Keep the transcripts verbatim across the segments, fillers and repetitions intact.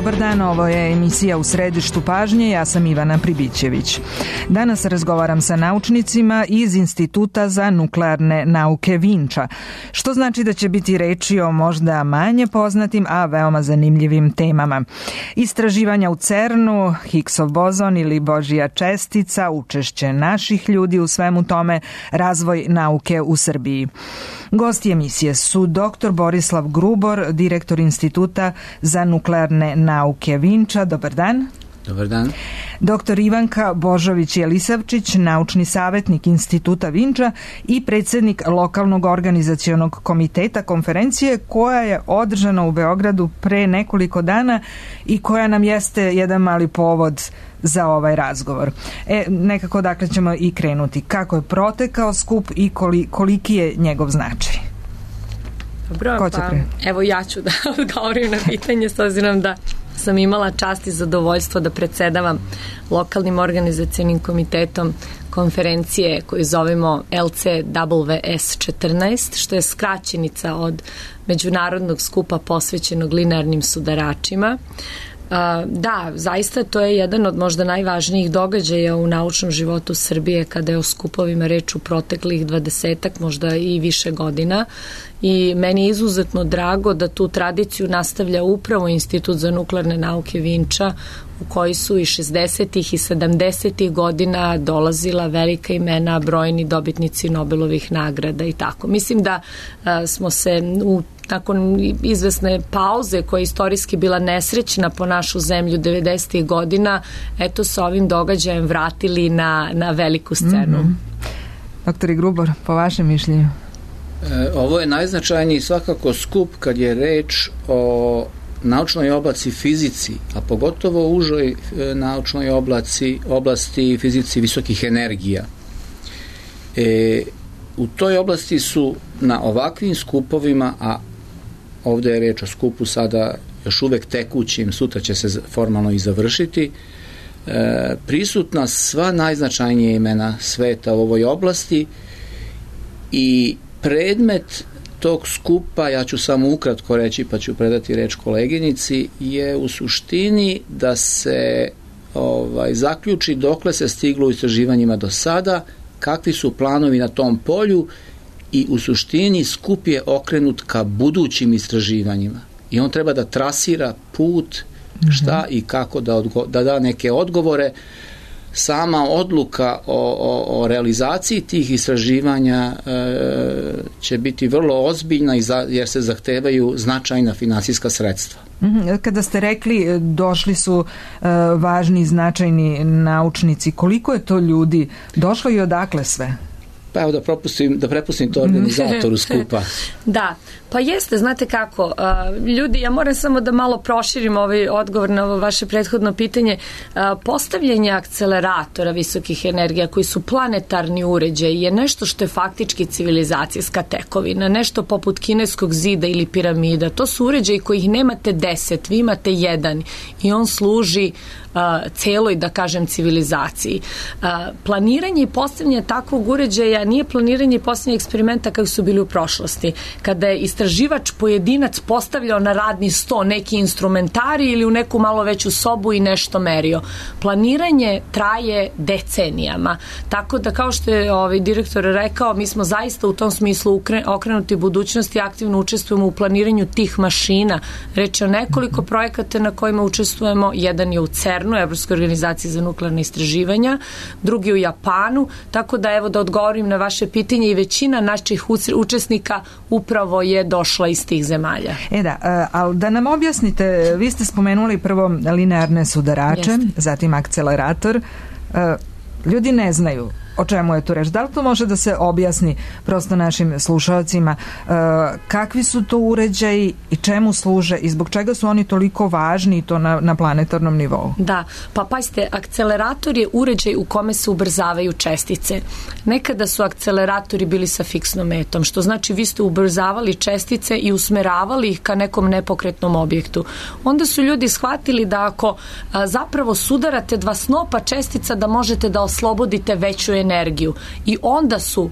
Dobar dan, ovo je emisija U središtu pažnje, ja sam Ivana Pribićević. Danas razgovaram sa naučnicima iz Instituta za nuklearne nauke Vinča, što znači da će biti reči o možda manje poznatim, a veoma zanimljivim temama. Istraživanja u CERN-u, Higgsov bozon ili Božja čestica, učešće naših ljudi u svemu tome, razvoj nauke u Srbiji. Gosti emisije su doktor Borislav Grubor, direktor Instituta za nuklearne nauke Vinča. Dobar dan. Dobar dan. Doktor Ivanka Božović-Jelisavčić, naučni savjetnik Instituta Vinča i predsjednik lokalnog organizacionog komiteta konferencije koja je održana u Beogradu pre nekoliko dana i koja nam jeste jedan mali povod za ovaj razgovor. E, nekako dakle ćemo i krenuti. Kako je protekao skup i koliki je njegov značaj? Dobro, pa evo ja ću da odgovorim na pitanje s obzirom da sam imala čast i zadovoljstvo da predsedavam lokalnim organizacionim komitetom konferencije koju zovemo L C W S četrnaest, što je skraćenica od međunarodnog skupa posvećenog linearnim sudaračima. Da, zaista to je jedan od možda najvažnijih događaja u naučnom životu Srbije kada je o skupovima reč u proteklih dvadesetak, možda i više godina, i meni je izuzetno drago da tu tradiciju nastavlja upravo Institut za nuklearne nauke Vinča, u koji su i šezdesetih i sedamdesetih godina dolazila velika imena, brojni dobitnici Nobelovih nagrada i tako. Mislim da a, smo se u nakon izvesne pauze koja je istorijski bila nesrećna po našu zemlju devedesetih godina, eto sa ovim događajem vratili na, na veliku scenu. Mm-hmm. Doktor Grubor, po vašem mišljenju? E, ovo je najznačajniji svakako skup kad je reč o naučnoj oblasti fizici, a pogotovo u užoj e, naučnoj oblasti, oblasti fizici visokih energija. E, u toj oblasti su na ovakvim skupovima, a ovdje je reč o skupu sada još uvek tekućim, sutra će se formalno i završiti, e, prisutna sva najznačajnija imena sveta u ovoj oblasti i predmet tog skupa, ja ću samo ukratko reći pa ću predati reč koleginici, je u suštini da se ovaj, zaključi dokle se stiglo u istraživanjima do sada, kakvi su planovi na tom polju i u suštini skup je okrenut ka budućim istraživanjima i on treba da trasira put šta i kako da, odgo- da da neke odgovore. Sama odluka o, o, o realizaciji tih istraživanja e, će biti vrlo ozbiljna i za, jer se zahtevaju značajna finansijska sredstva. Kada ste rekli došli su e, važni i značajni naučnici, koliko je to ljudi došlo i odakle sve? Pa evo da, propustim, da prepustim to organizatoru skupa. Da, pa jeste, znate kako, uh, ljudi, ja moram samo da malo proširim ovaj odgovor na ovo vaše prethodno pitanje. Uh, postavljanje akceleratora visokih energija koji su planetarni uređaji je nešto što je faktički civilizacijska tekovina, nešto poput kineskog zida ili piramida. To su uređaji kojih nemate deset, vi imate jedan i on služi uh, celoj, da kažem, civilizaciji. Uh, planiranje i postavljanje takvog uređaja nije planiranje i postavljanje eksperimenta kako su bili u prošlosti. Kada je istraživač pojedinac postavljao na radni sto neki instrumentari ili u neku malo veću sobu i nešto merio. Planiranje traje decenijama. Tako da, kao što je ovaj direktor rekao, mi smo zaista u tom smislu okrenuti budućnosti i aktivno učestvujemo u planiranju tih mašina. Reč je o nekoliko projekata na kojima učestvujemo. Jedan je u CERN-u, Evropskoj organizaciji za nuklearne istraživanja, drugi u Japanu, tako da evo da odgovorim na vaše pitanje i većina naših učesnika upravo je došla iz tih zemalja. E da, ali da nam objasnite, vi ste spomenuli prvo linearne sudarače, Jeste. zatim akcelerator. Ljudi ne znaju o čemu je tu reč. Da li to može da se objasni prosto našim slušalcima? E, kakvi su to uređaji i čemu služe i zbog čega su oni toliko važni i to na, na planetarnom nivou? Da, pa pazite, akcelerator je uređaj u kome se ubrzavaju čestice. Nekada su akceleratori bili sa fiksnom metom, što znači vi ste ubrzavali čestice i usmeravali ih ka nekom nepokretnom objektu. Onda su ljudi shvatili da ako a, zapravo sudarate dva snopa čestica da možete da oslobodite veću energiju. I onda su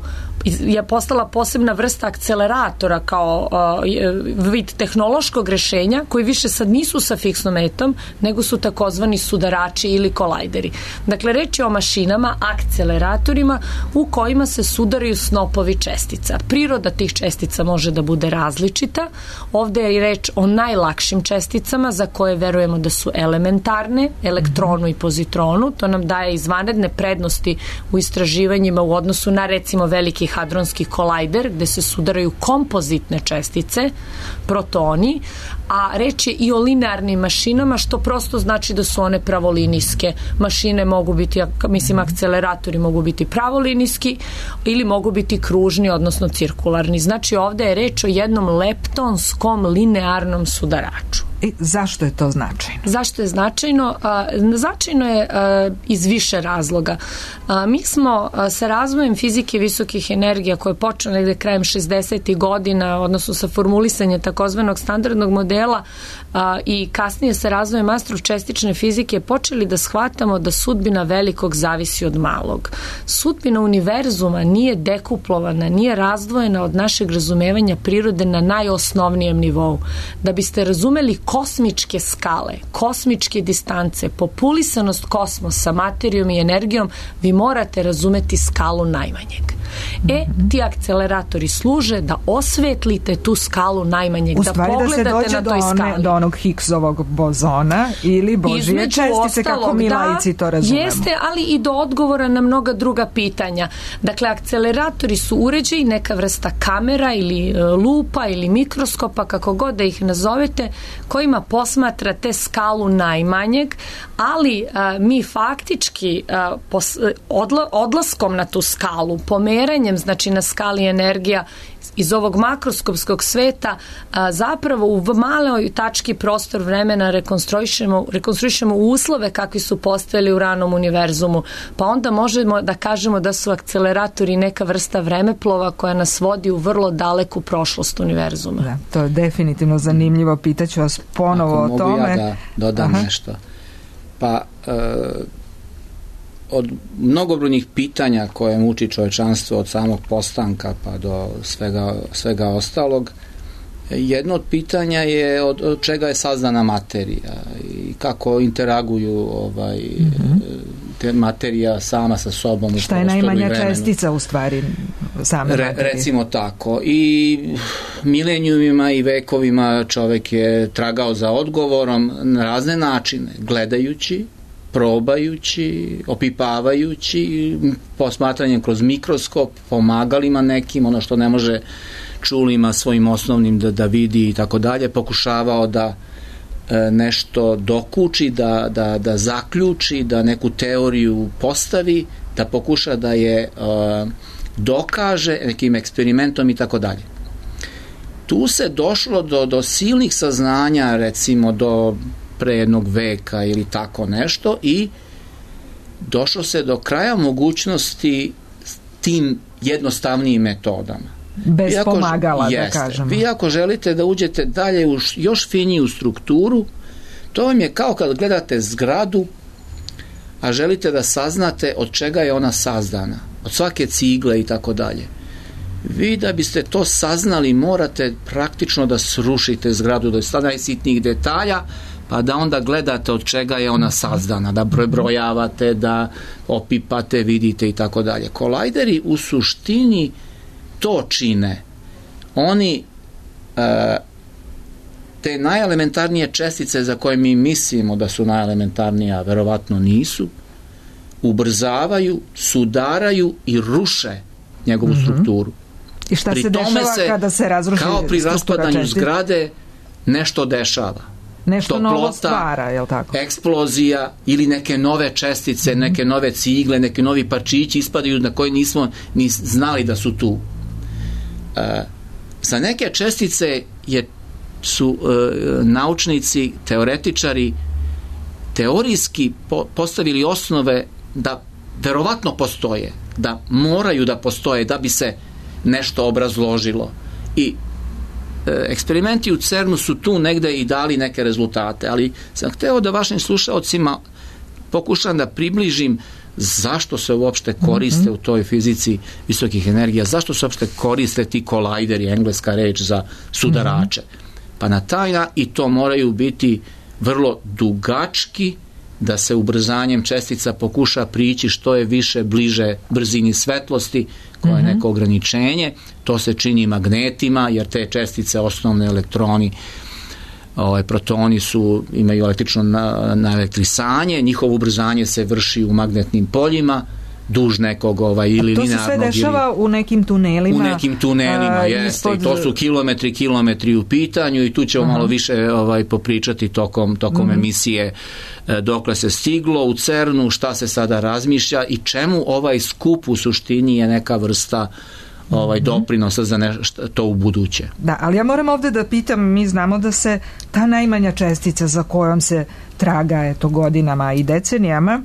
je postala posebna vrsta akceleratora kao uh, vid tehnološkog rešenja koji više sad nisu sa fiksnometom, nego su takozvani sudarači ili kolajderi. Dakle, reč je o mašinama, akceleratorima u kojima se sudaraju snopovi čestica. Priroda tih čestica može da bude različita. Ovde je reč o najlakšim česticama za koje verujemo da su elementarne, elektronu i pozitronu. To nam daje izvanredne prednosti u istraživanjima u odnosu na recimo veliki hadronski kolajder gde se sudaraju kompozitne čestice, protoni, a reč je i o linearnim mašinama, što prosto znači da su one pravolinijske. Mašine mogu biti, mislim, akceleratori mogu biti pravolinijski ili mogu biti kružni, odnosno cirkularni. Znači ovde je reč o jednom leptonskom linearnom sudaraču. I zašto je to značajno? Zašto je značajno? A, značajno je a, iz više razloga. A, mi smo a, sa razvojem fizike visokih energija koje je počeo negde krajem šezdesetih godina, odnosno sa formulisanjem takozvanog standardnog modela a, i kasnije sa razvojem astročestične fizike počeli da shvatamo da sudbina velikog zavisi od malog. Sudbina univerzuma nije dekuplovana, nije razdvojena od našeg razumevanja prirode na najosnovnijem nivou. Da biste razumeli kosmičke skale, kosmičke distance, populisanost kosmosa, materijom i energijom, vi morate razumeti skalu najmanjeg. E, ti akceleratori služe da osvetlite tu skalu najmanjeg, da pogledate da na toj skali. One, do onog Higgsovog bozona ili Božije između čestice, ostalog, kako mi laici to razumemo. Jeste, ali i do odgovora na mnoga druga pitanja. Dakle, akceleratori su uređaji, neka vrsta kamera ili e, lupa ili mikroskopa, kako god da ih nazovete, kojima posmatrate skalu najmanjeg, ali a, mi faktički a, pos, odla, odlaskom na tu skalu, pomeranjem, znači na skali energija iz ovog makroskopskog sveta, a, zapravo u maloj tački prostor vremena rekonstruišemo, rekonstruišemo uslove kakvi su postojali u ranom univerzumu. Pa onda možemo da kažemo da su akceleratori neka vrsta vremeplova koja nas vodi u vrlo daleku prošlost univerzuma. Da, to je definitivno zanimljivo. Pitaću vas ponovo o tome. Ako mogu ja da dodam Aha. nešto. Pa e, od mnogobrojnih pitanja koje muči čovečanstvo od samog postanka pa do svega, svega ostalog, jedno od pitanja je od, od čega je sazdana materija i kako interaguju ovaj, mm-hmm. te materija sama sa sobom u šta je najmanja čestica u stvari same Re, recimo tako. I milenijumima i vekovima čovek je tragao za odgovorom na razne načine, gledajući, probajući, opipavajući, posmatranjem kroz mikroskop, pomagalima nekim, ono što ne može čulima svojim osnovnim da, da vidi i tako dalje, pokušavao da e, nešto dokuči, da, da, da zaključi, da neku teoriju postavi, da pokuša da je e, dokaže nekim eksperimentom i tako dalje. Tu se došlo do, do silnih saznanja, recimo do pre jednog veka ili tako nešto, i došlo se do kraja mogućnosti tim jednostavnijim metodama. Bez vi ako, pomagala, jeste, da kažemo. Vi ako želite da uđete dalje u još finiju strukturu, to vam je kao kad gledate zgradu, a želite da saznate od čega je ona sazdana, od svake cigle i tako dalje. Vi da biste to saznali morate praktično da srušite zgradu do najsitnijih detalja, pa da onda gledate od čega je ona sazdana, da prebrojavate, da opipate, vidite i tako dalje. Kolajderi u suštini to čine. Oni e, te najelementarnije čestice za koje mi mislimo da su najelementarnije, a verovatno nisu, ubrzavaju, sudaraju i ruše njegovu mm-hmm. strukturu. I šta pri se dešava se, kada se razruši kao pri raspadanju čestica? Zgrade nešto dešava. Nešto toplota, novo stvara, je li tako? Eksplozija ili neke nove čestice, mm-hmm. neke nove cigle, neki novi parčići ispadaju na koje nismo ni znali da su tu. E, za neke čestice je, su e, naučnici, teoretičari teorijski po, postavili osnove da verovatno postoje, da moraju da postoje da bi se nešto obrazložilo. I eksperimenti u CERN-u su tu negde i dali neke rezultate, ali sam hteo da vašim slušaocima pokušam da približim zašto se uopšte koriste mm-hmm. u toj fizici visokih energija, zašto se uopšte koriste ti kolajderi, engleska reč za sudarače. Mm-hmm. Pa na taj način, i to moraju biti vrlo dugački, da se ubrzanjem čestica pokuša prići što je više bliže brzini svetlosti, koja je mm-hmm. neko ograničenje. To se čini magnetima, jer te čestice, osnovne elektroni, ovaj, protoni su, imaju električno na, na elektrisanje, njihovo ubrzanje se vrši u magnetnim poljima, duž nekog ovaj, ili linearnog. To se sve dešava ili, u nekim tunelima. U nekim tunelima, a, jeste. Ispod... I to su kilometri, kilometri u pitanju i tu ćemo uh-huh. malo više ovaj, popričati tokom, tokom uh-huh. emisije e, dokle se stiglo u CERN-u, šta se sada razmišlja i čemu ovaj skup u suštini je neka vrsta ovaj doprinosa za nešto to u buduće. Da, ali ja moram ovde da pitam, mi znamo da se ta najmanja čestica za kojom se traga eto godinama i decenijama,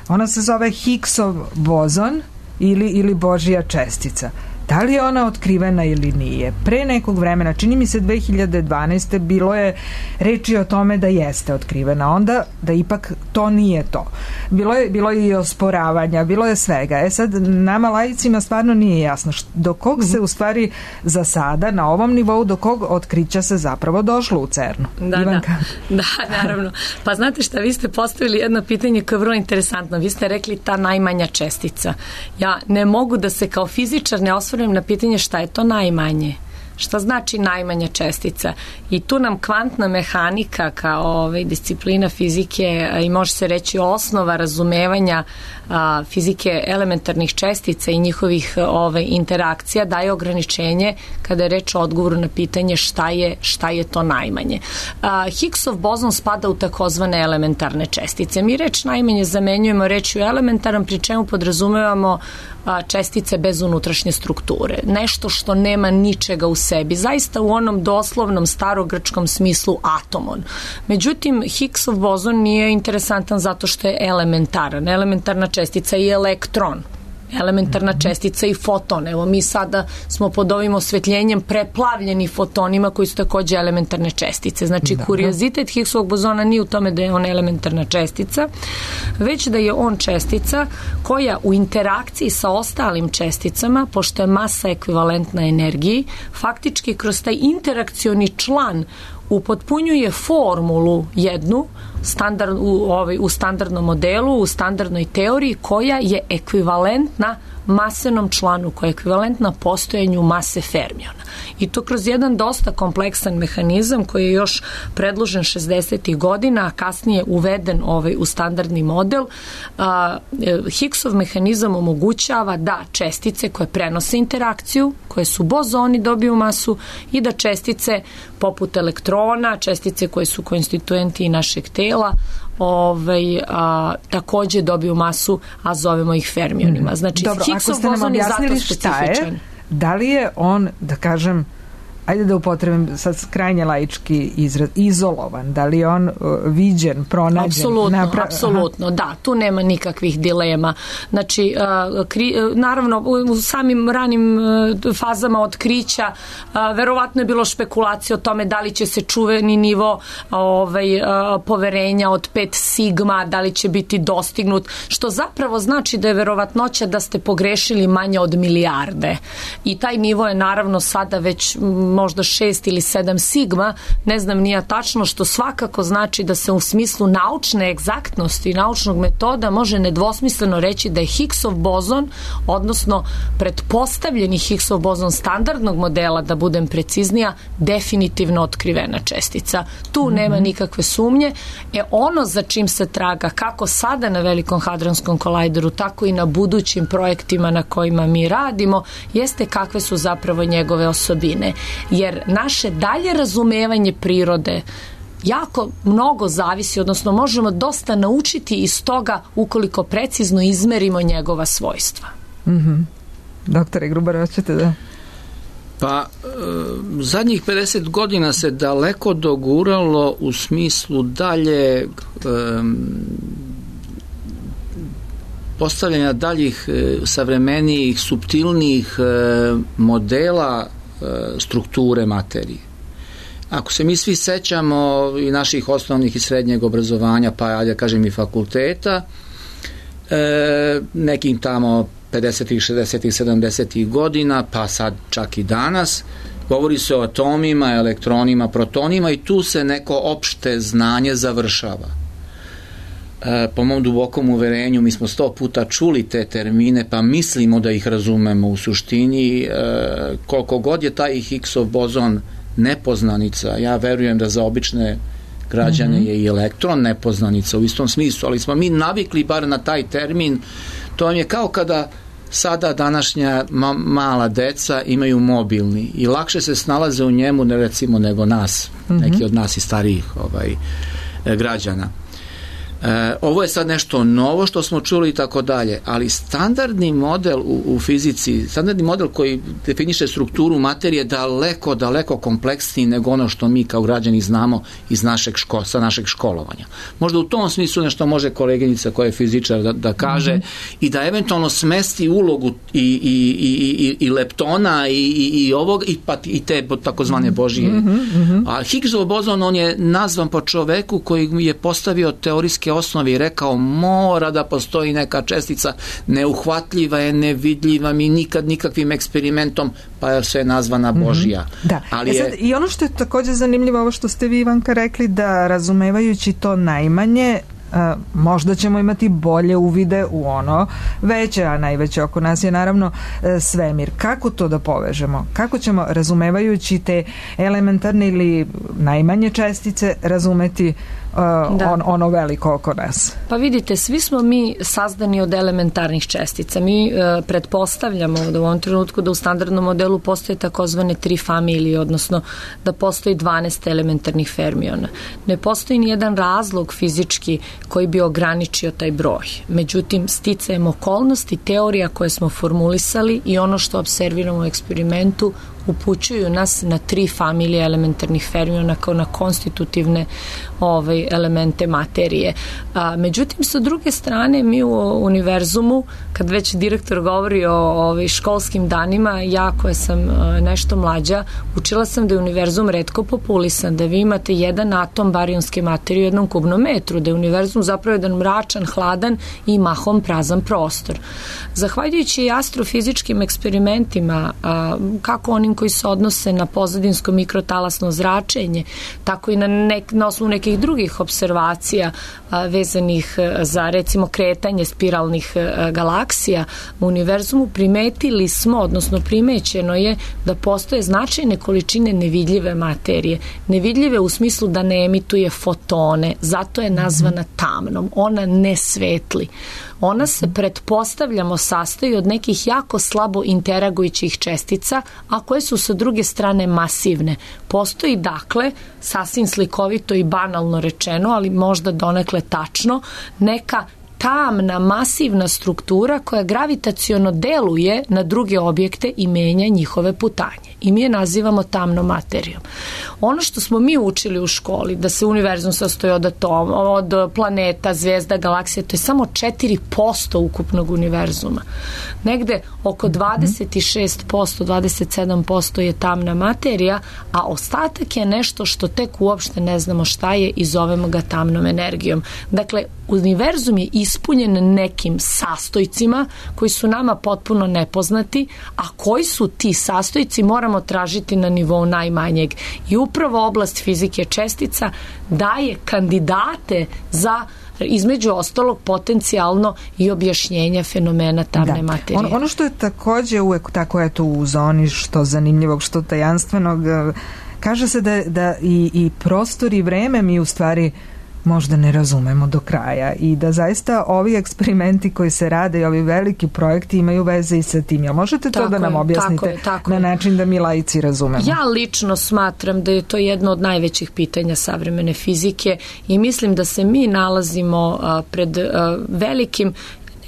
ona se zove Higgsov bozon ili, ili Božja čestica. Da li je ona otkrivena ili nije? Pre nekog vremena, čini mi se dve hiljade dvanaeste bilo je reči o tome da jeste otkrivena, onda da ipak to nije to. Bilo je, bilo je i osporavanja, bilo je svega. E sad, nama laicima stvarno nije jasno do kog se u stvari za sada na ovom nivou, do kog otkrića se zapravo došlo u CERN-u. Da, Ivanka. da, da, naravno. Pa znate šta, vi ste postavili jedno pitanje koje je vrlo interesantno. Vi ste rekli ta najmanja čestica. Ja ne mogu da se kao fizičar ne osvrnem na pitanje šta je to najmanje. Šta znači najmanja čestica? I tu nam kvantna mehanika kao ovaj, disciplina fizike i može se reći osnova razumevanja a, fizike elementarnih čestica i njihovih ovaj, interakcija daje ograničenje kada je reč o odgovoru na pitanje šta je, šta je to najmanje. A, Higgsov bozon spada u takozvane elementarne čestice. Mi reč najmanje zamenjujemo rečju elementaran, pri čemu podrazumevamo a, čestice bez unutrašnje strukture. Nešto što nema ničega u sebi, zaista u onom doslovnom starogrčkom smislu atomon. Međutim, Higgsov bozon nije interesantan zato što je elementaran. Elementarna čestica i elektron. Elementarna čestica i foton. Evo mi sada smo pod ovim osvetljenjem preplavljeni fotonima koji su takođe elementarne čestice. Znači, da, kuriozitet Higgsovog bozona nije u tome da je on elementarna čestica, već da je on čestica koja u interakciji sa ostalim česticama, pošto je masa ekvivalentna energiji, faktički kroz taj interakcioni član upotpunjuje formulu jednu standard, u, ovaj, u standardnom modelu, u standardnoj teoriji koja je ekvivalentna masenom članu, koja je ekvivalentna postojanju mase fermiona. I to kroz jedan dosta kompleksan mehanizam koji je još predložen šezdesetih godina, a kasnije uveden ovaj, u standardni model. A, Higgsov mehanizam omogućava da čestice koje prenose interakciju, koje su bozoni, dobiju masu i da čestice poput elektrona, čestice koje su konstituenti našeg tela, ovaj, a, takođe dobiju masu, a zovemo ih fermionima. Znači, dobro, Higgsov bozon je zato specifičan. Je, da li je on, da kažem, ajde da upotrebim sad krajnje laički izraz, izolovan, da li je on uh, viđen, pronađen? Apsolutno, napra... apsolutno, da, tu nema nikakvih dilema. Znači, uh, kri, uh, naravno, u samim ranim uh, fazama otkrića uh, verovatno je bilo špekulacije o tome da li će se čuveni nivo ovaj, uh, poverenja od pet sigma, da li će biti dostignut, što zapravo znači da je verovatnoća da ste pogrešili manje od milijarde. I taj nivo je naravno sada već možda šest ili sedam sigma, ne znam nija tačno, što svakako znači da se u smislu naučne egzaktnosti i naučnog metoda može nedvosmisleno reći da je Higgsov bozon, odnosno pretpostavljeni Higgsov bozon standardnog modela, da budem preciznija, definitivno otkrivena čestica. Tu mm-hmm. nema nikakve sumnje. E ono za čim se traga, kako sada na Velikom hadronskom kolajderu, tako i na budućim projektima na kojima mi radimo, jeste kakve su zapravo njegove osobine. Jer naše dalje razumevanje prirode jako mnogo zavisi, odnosno možemo dosta naučiti iz toga ukoliko precizno izmerimo njegova svojstva. Mm-hmm. Doktore Grubar, hoćete da... Pa, e, zadnjih pedeset godina se daleko doguralo u smislu dalje e, postavljanja daljih e, savremenijih, suptilnijih e, modela strukture materije. Ako se mi svi sećamo i naših osnovnih i srednjeg obrazovanja, pa ja kažem i fakulteta, e, nekim tamo pedesetih, šezdesetih, sedamdesetih godina, pa sad čak i danas. Govori se o atomima, elektronima, protonima i tu se neko opšte znanje završava. E, po mom dubokom uverenju, mi smo sto puta čuli te termine, pa mislimo da ih razumemo. U suštini, e, koliko god je taj Higgsov bozon nepoznanica, ja verujem da za obične građane je i elektron nepoznanica u istom smislu, ali smo mi navikli bar na taj termin. To vam je kao kada sada današnja ma- mala deca imaju mobilni i lakše se snalaze u njemu ne recimo nego nas, mm-hmm. neki od nas i starijih ovaj, građana. E, ovo je sad nešto novo što smo čuli i tako dalje, ali standardni model u, u fizici, standardni model koji definiše strukturu materije daleko, daleko kompleksniji nego ono što mi kao građani znamo iz našeg ško, sa našeg školovanja. Možda u tom smislu nešto može koleginica koja je fizičar da, da kaže mm-hmm. i da eventualno smesti ulogu i, i, i, i, i leptona i, i, i ovog i, pa, i te takozvane Božije. Mm-hmm. A Higgsov bozon, on je nazvan po čoveku koji je postavio teorijske osnovi i rekao mora da postoji neka čestica, neuhvatljiva je, nevidljiva mi nikad nikakvim eksperimentom, pa je sve nazvana Božja. Mm-hmm. Da. Ali e sad, je... I ono što je također zanimljivo, ovo što ste vi, Ivanka, rekli, da razumevajući to najmanje, Uh, možda ćemo imati bolje uvide u ono veće, a najveće oko nas je naravno uh, svemir. Kako to da povežemo? Kako ćemo, razumevajući te elementarne ili najmanje čestice, razumeti uh, on, ono veliko oko nas? Pa vidite, svi smo mi sazdani od elementarnih čestica. Mi uh, pretpostavljamo da u ovom trenutku da u standardnom modelu postoje takozvane tri familije, odnosno da postoji dvanaest elementarnih fermiona. Ne postoji ni jedan razlog fizički koji bi ograničio taj broj. Međutim, sticajem okolnosti, teorija koje smo formulisali i ono što observiramo u eksperimentu upućuju nas na tri familije elementarnih fermiona kao na konstitutivne ovaj, elemente materije. A, međutim, sa druge strane, mi u univerzumu, kad već direktor govori o ovaj, školskim danima, ja koja sam a, nešto mlađa, učila sam da je univerzum retko populisan, da vi imate jedan atom barionske materije u jednom kubnom metru, da je univerzum zapravo jedan mračan, hladan i mahom prazan prostor. Zahvaljujući i astrofizičkim eksperimentima, a, kako onim koji se odnose na pozadinsko mikrotalasno zračenje, tako i na, nek, na osnovu nekih drugih observacija a, vezanih a, za recimo kretanje spiralnih a, galaksija u univerzumu, primetili smo, odnosno primećeno je da postoje značajne količine nevidljive materije. Nevidljive u smislu da ne emituje fotone, zato je nazvana tamnom. Ona ne svetli. Ona se, pretpostavljamo, sastoji od nekih jako slabo interagujućih čestica, a koje su sa druge strane masivne. Postoji, dakle, sasvim slikovito i banalno rečeno, ali možda donekle tačno, neka tamna, masivna struktura koja gravitaciono deluje na druge objekte i menja njihove putanje. I mi je nazivamo tamnom materijom. Ono što smo mi učili u školi, da se univerzum sastoji od atoma, od planeta, zvezda, galaksija, to je samo četiri posto ukupnog univerzuma. Negde oko dvadeset šest posto, dvadeset sedam posto je tamna materija, a ostatak je nešto što tek uopšte ne znamo šta je i zovemo ga tamnom energijom. Dakle, univerzum je ispunjen nekim sastojcima koji su nama potpuno nepoznati, a koji su ti sastojci moramo tražiti na nivou najmanjeg. I upravo oblast fizike čestica daje kandidate za, između ostalog, potencijalno i objašnjenje fenomena tamne da. materije. Ono, ono što je takođe uvek tako eto u zoni što zanimljivog, što tajanstvenog, kaže se da, da i, i prostor i vreme mi u stvari možda ne razumemo do kraja i da zaista ovi eksperimenti koji se rade i ovi veliki projekti imaju veze i sa tim. Jel možete to tako da nam je, objasnite tako je, tako na način da mi laici razumemo? Ja lično smatram da je to jedno od najvećih pitanja savremene fizike i mislim da se mi nalazimo a, pred a, velikim,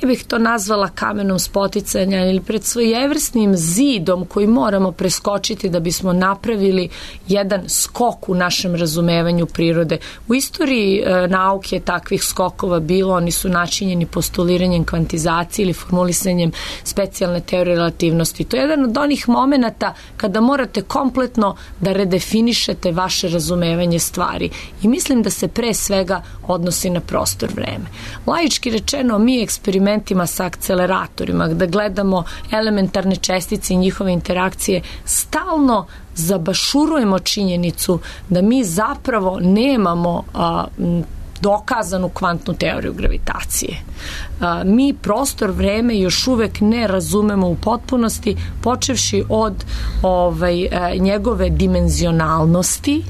ne bih to nazvala kamenom spoticanja, ili pred svojevrsnim zidom koji moramo preskočiti da bismo napravili jedan skok u našem razumevanju prirode. U istoriji e, nauke takvih skokova bilo, oni su načinjeni postuliranjem kvantizacije ili formulisanjem specijalne teorije relativnosti. To je jedan od onih momenata kada morate kompletno da redefinišete vaše razumevanje stvari. I mislim da se pre svega odnosi na prostor vreme. Laički rečeno, mi eksperiment eksperimentima sa akceleratorima, da gledamo elementarne čestice i njihove interakcije, stalno zabašurujemo činjenicu da mi zapravo nemamo a, dokazanu kvantnu teoriju gravitacije. A, mi prostor, vreme još uvek ne razumemo u potpunosti, počevši od ovaj, a, njegove dimenzionalnosti.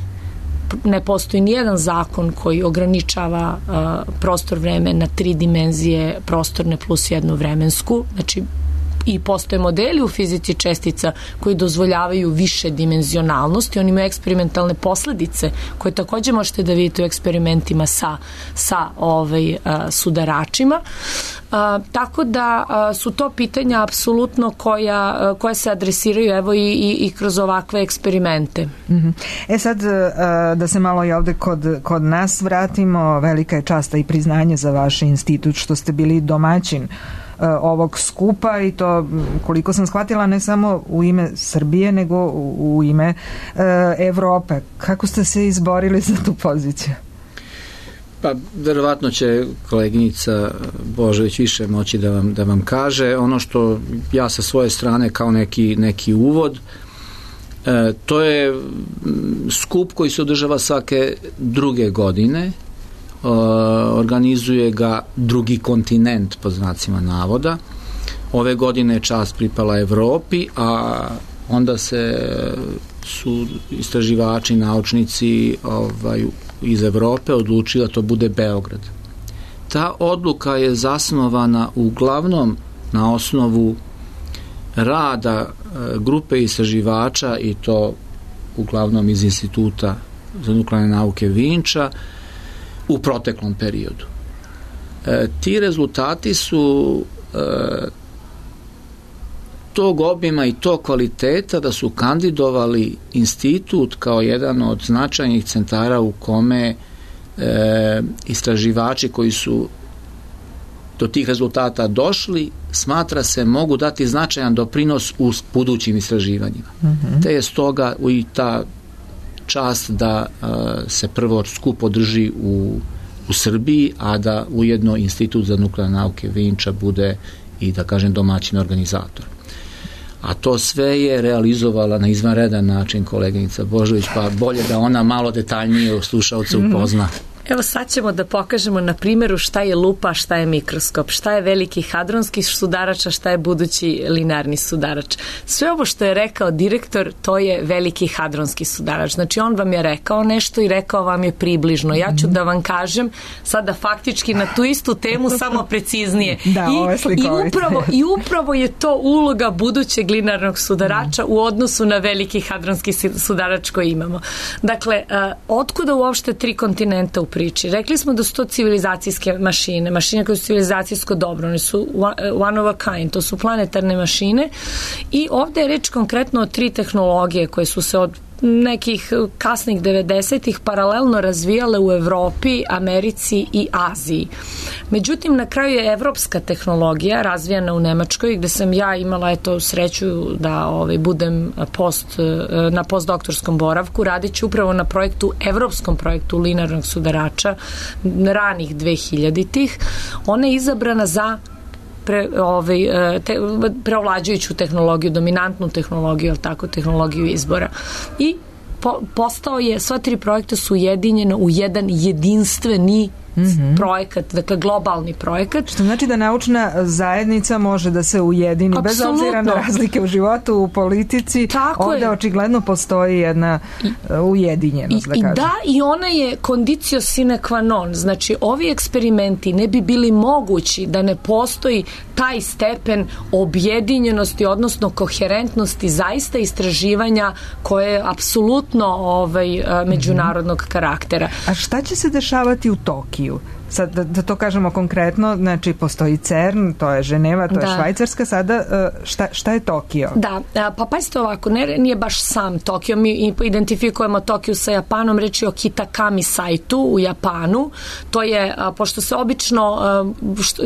Ne postoji nijedan zakon koji ograničava a, prostor, vreme na tri dimenzije prostorne plus jednu vremensku. Znači, i postoje modeli u fizici čestica koji dozvoljavaju više dimenzionalnosti, oni imaju eksperimentalne posledice koje takođe možete da vidite u eksperimentima sa, sa ovaj, a, sudaračima. A, tako da a, su to pitanja apsolutno koja, a, koja se adresiraju evo i, i, i kroz ovakve eksperimente. Mm-hmm. E sad a, da se malo i ovde kod, kod nas vratimo, velika je časta i priznanje za vaš institut što ste bili domaćin ovog skupa i to, koliko sam shvatila, ne samo u ime Srbije, nego u, u ime e, Evrope. Kako ste se izborili za tu poziciju? Pa, verovatno će koleginica Božović više moći da vam, da vam kaže. Ono što ja sa svoje strane kao neki, neki uvod, e, to je skup koji se održava svake druge godine. Uh, organizuje ga drugi kontinent, po znacima navoda. Ove godine je čast pripala Evropi, a onda se su istraživači, naučnici ovaj, iz Evrope odlučili da to bude Beograd. Ta odluka je zasnovana uglavnom na osnovu rada uh, grupe istraživača, i to uglavnom iz Instituta za nuklearne nauke Vinča, u proteklom periodu. E, ti rezultati su e, tog obima i tog kvaliteta da su kandidovali institut kao jedan od značajnih centara u kome e, istraživači koji su do tih rezultata došli, smatra se, mogu dati značajan doprinos u budućim istraživanjima. Mm-hmm. Te je stoga i ta čast da uh, se prvo skup održi u, u Srbiji, a da ujedno Institut za nuklearne nauke Vinča bude i, da kažem, domaćin organizator. A to sve je realizovala na izvanredan način koleginica Božović, pa bolje da ona malo detaljnije slušaoce upozna. Evo sad ćemo da pokažemo na primjeru šta je lupa, šta je mikroskop, šta je veliki hadronski sudarač, a šta je budući linearni sudarač. Sve ovo što je rekao direktor, to je veliki hadronski sudarač. Znači on vam je rekao nešto i rekao vam je približno. Ja ću da vam kažem sada faktički na tu istu temu samo preciznije. Da, I, ovo je slikovito. I upravo, I upravo je to uloga budućeg linearnog sudarača u odnosu na veliki hadronski sudarač koji imamo. Dakle, uh, otkuda uopšte tri kontinenta u priči? Rekli smo da su to civilizacijske mašine, mašine koje su civilizacijsko dobro, one su one of a kind, to su planetarne mašine i ovde je reč konkretno o tri tehnologije koje su se od nekih kasnih devedesetih paralelno razvijale u Evropi, Americi i Aziji. Međutim, na kraju je evropska tehnologija razvijana u Nemačkoj, gde sam ja imala eto sreću da ovaj, budem post, na postdoktorskom boravku, radeći upravo na projektu, evropskom projektu linearnog sudarača ranih dvehiljaditih. Ona je izabrana za Pre, ovaj, te, preovlađujuću tehnologiju, dominantnu tehnologiju, ali tako, tehnologiju izbora. I po, postao je, sva tri projekta su ujedinjena u jedan jedinstveni mm-hmm. projekat, dakle globalni projekat. Što znači da naučna zajednica može da se ujedini Absolutno. Bez obzira na razlike u životu, u politici. Tako ovde je. Očigledno postoji jedna I, ujedinjenost, i, da kažem. I da, i ona je condicio sine qua non. Znači, ovi eksperimenti ne bi bili mogući da ne postoji taj stepen objedinjenosti, odnosno koherentnosti zaista istraživanja koje je apsolutno ovaj, međunarodnog karaktera. A šta će se dešavati u Tokiju? Sad, da, da to kažemo konkretno, znači postoji CERN, to je Ženeva, to da. je Švajcarska, sada šta, šta je Tokio? Da, pa pazite ovako, ne, nije baš sam Tokio, mi identifikujemo Tokiju sa Japanom, reč je o Kitakami sajtu u Japanu, to je, pošto se obično,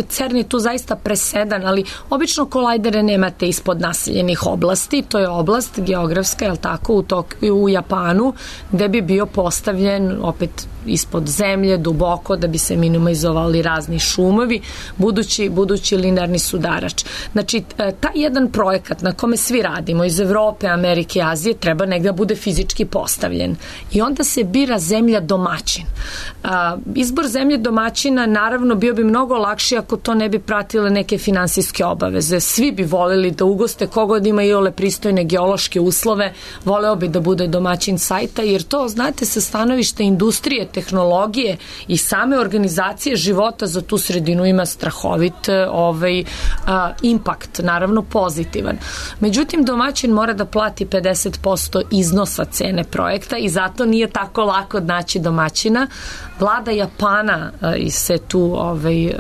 CERN je tu zaista presedan, ali obično kolajdere nemate ispod naseljenih oblasti, to je oblast geografska, je li tako, u, Tokiju, u Japanu, gde bi bio postavljen opet ispod zemlje, duboko, da bi se minimalizovao minimizovali razni šumovi, budući, budući linearni sudarač. Znači, taj jedan projekat na kome svi radimo iz Evrope, Amerike, Azije, treba negdje bude fizički postavljen. I onda se bira zemlja domaćin. A, izbor zemlje domaćina naravno bio bi mnogo lakši ako to ne bi pratile neke finansijske obaveze. Svi bi volili da ugoste kogod ima i ole pristojne geološke uslove, voleo bi da bude domaćin sajta, jer to, znate, sa stanovišta industrije, tehnologije i same organizacije života za tu sredinu ima strahovit ovaj, a, impakt, naravno pozitivan. Međutim, domaćin mora da plati pedeset posto iznosa cene projekta i zato nije tako lako naći domaćina. Vlada Japana uh, se tu ovaj, uh,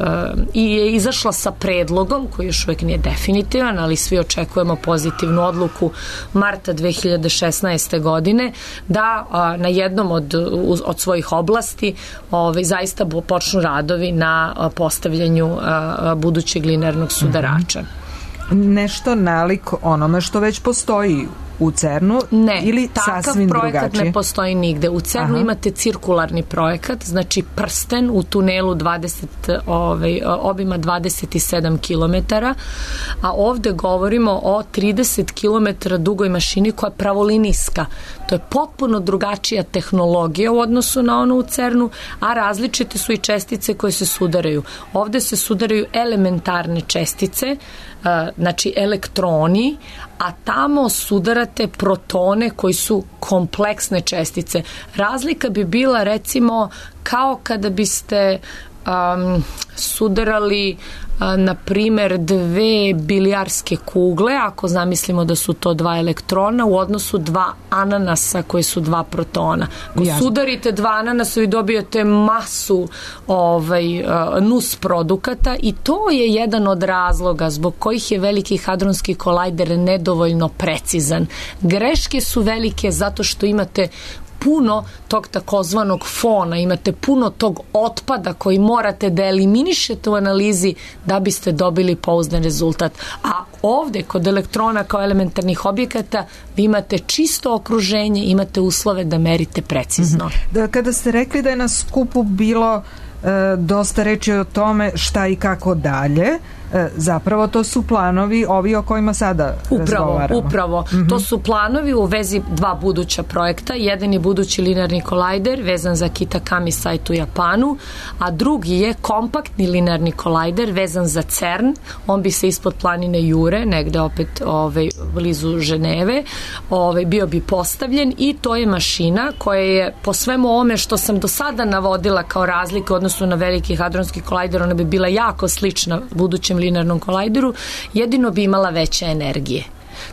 i je izašla sa predlogom koji još uvijek nije definitivan, ali svi očekujemo pozitivnu odluku marta dve hiljade šesnaeste. godine da uh, na jednom od, od svojih oblasti ovaj, zaista počnu radovi na uh, postavljanju uh, budućeg linearnog sudarača. Mm-hmm. Nešto nalik onome što već postoji u CERN-u ne, ili sasvim drugačije? Ne, takav projekat ne postoji nigde. U CERN-u imate cirkularni projekat, znači prsten u tunelu dvadeset, ovaj, obima dvadeset sedam kilometara, a ovde govorimo o trideset kilometara dugoj mašini koja je pravolinijska. To je potpuno drugačija tehnologija u odnosu na onu u CERN-u, a različite su i čestice koje se sudaraju. Ovde se sudaraju elementarne čestice, znači elektroni, a tamo sudarate protone koji su kompleksne čestice. Razlika bi bila recimo kao kada biste um, sudarali a, na primer dve bilijarske kugle, ako zamislimo da su to dva elektrona u odnosu dva ananasa koji su dva protona. Ako Jasne. Sudarite dva ananasa i dobijete masu ovaj, a, nus produkata i to je jedan od razloga zbog kojih je Veliki hadronski kolajder nedovoljno precizan. Greške su velike zato što imate puno tog takozvanog fona, imate puno tog otpada koji morate da eliminišete u analizi da biste dobili pouzdan rezultat. A ovde, kod elektrona kao elementarnih objekata, vi imate čisto okruženje, imate uslove da merite precizno. Mm-hmm. Da, kada ste rekli da je na skupu bilo e, dosta reči o tome šta i kako dalje, zapravo to su planovi ovi o kojima sada upravo, razgovaramo. Upravo, mm-hmm. To su planovi u vezi dva buduća projekta. Jedan je budući linearni kolajder vezan za Kitakami sajt u Japanu, a drugi je kompaktni linearni kolajder vezan za CERN. On bi se ispod planine Jure, negde opet ovaj, blizu Ženeve, ovaj, bio bi postavljen i to je mašina koja je po svemu ovome što sam do sada navodila kao razlike odnosno na Veliki hadronski kolajder, ona bi bila jako slična budućem linearnom kolajderu, jedino bi imala veće energije.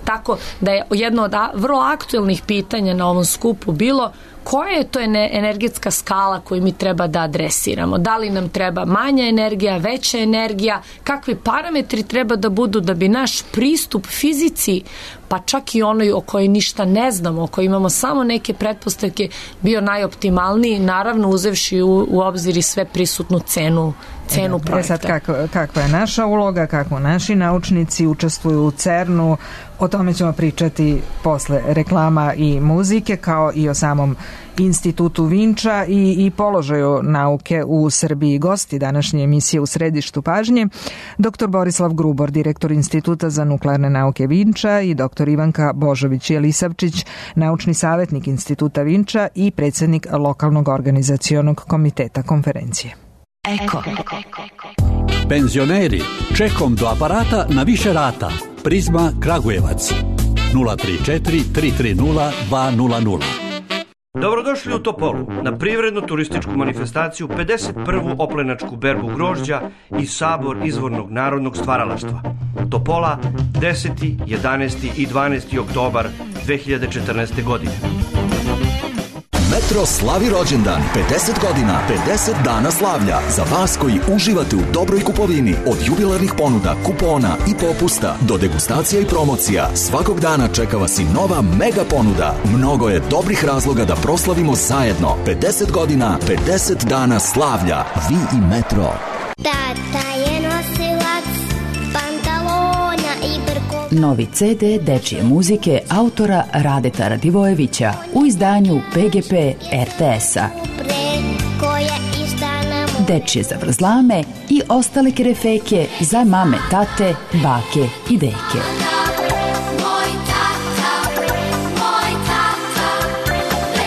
Tako da je jedno od vrlo aktuelnih pitanja na ovom skupu bilo koja je to energetska skala koju mi treba da adresiramo. Da li nam treba manja energija, veća energija, kakvi parametri treba da budu da bi naš pristup fizici, pa čak i onoj o kojoj ništa ne znamo, o kojoj imamo samo neke pretpostavke, bio najoptimalniji, naravno uzevši u, u obzir i sve prisutnu cenu cenu e, projekta. E sad, kako, kakva je naša uloga, kako naši naučnici učestvuju u CERN-u, o tome ćemo pričati posle reklama i muzike, kao i o samom Institutu Vinča i, i položaju nauke u Srbiji. Gosti današnje emisije U središtu pažnje, doktor Borislav Grubor, direktor Instituta za nuklearne nauke Vinča, i doktor Ivanka Božović-Jelisavčić, naučni savjetnik Instituta Vinča i predsjednik lokalnog organizacionog komiteta konferencije. Eko. Penzioneri, čekom do aparata na više rata. Prizma Kragujevac nula tri četiri tri tri nula dva nula nula. Dobrodošli u Topolu na privrednu turističku manifestaciju pedeset prvu oplenačku berbu grožđa i sabor izvornog narodnog stvaralaštva. Topola deseti, jedanaesti i dvanaesti oktobar dve hiljade četrnaeste. godine. Metro slavi rođendan, pedeset godina, pedeset dana slavlja. Za vas koji uživate u dobroj kupovini, od jubilarnih ponuda, kupona i popusta do degustacija i promocija, svakog dana čeka vas i nova mega ponuda. Mnogo je dobrih razloga da proslavimo zajedno. pedeset godina, pedeset dana slavlja. Vi i Metro. Tata je nosilac pantalona i brkova. Novi ce de dečije muzike autora Radeta Radivojevića u izdanju pe ge pe er te esa. dečje zavrzlame i ostale kerefeke za mame, tate, bake i deke.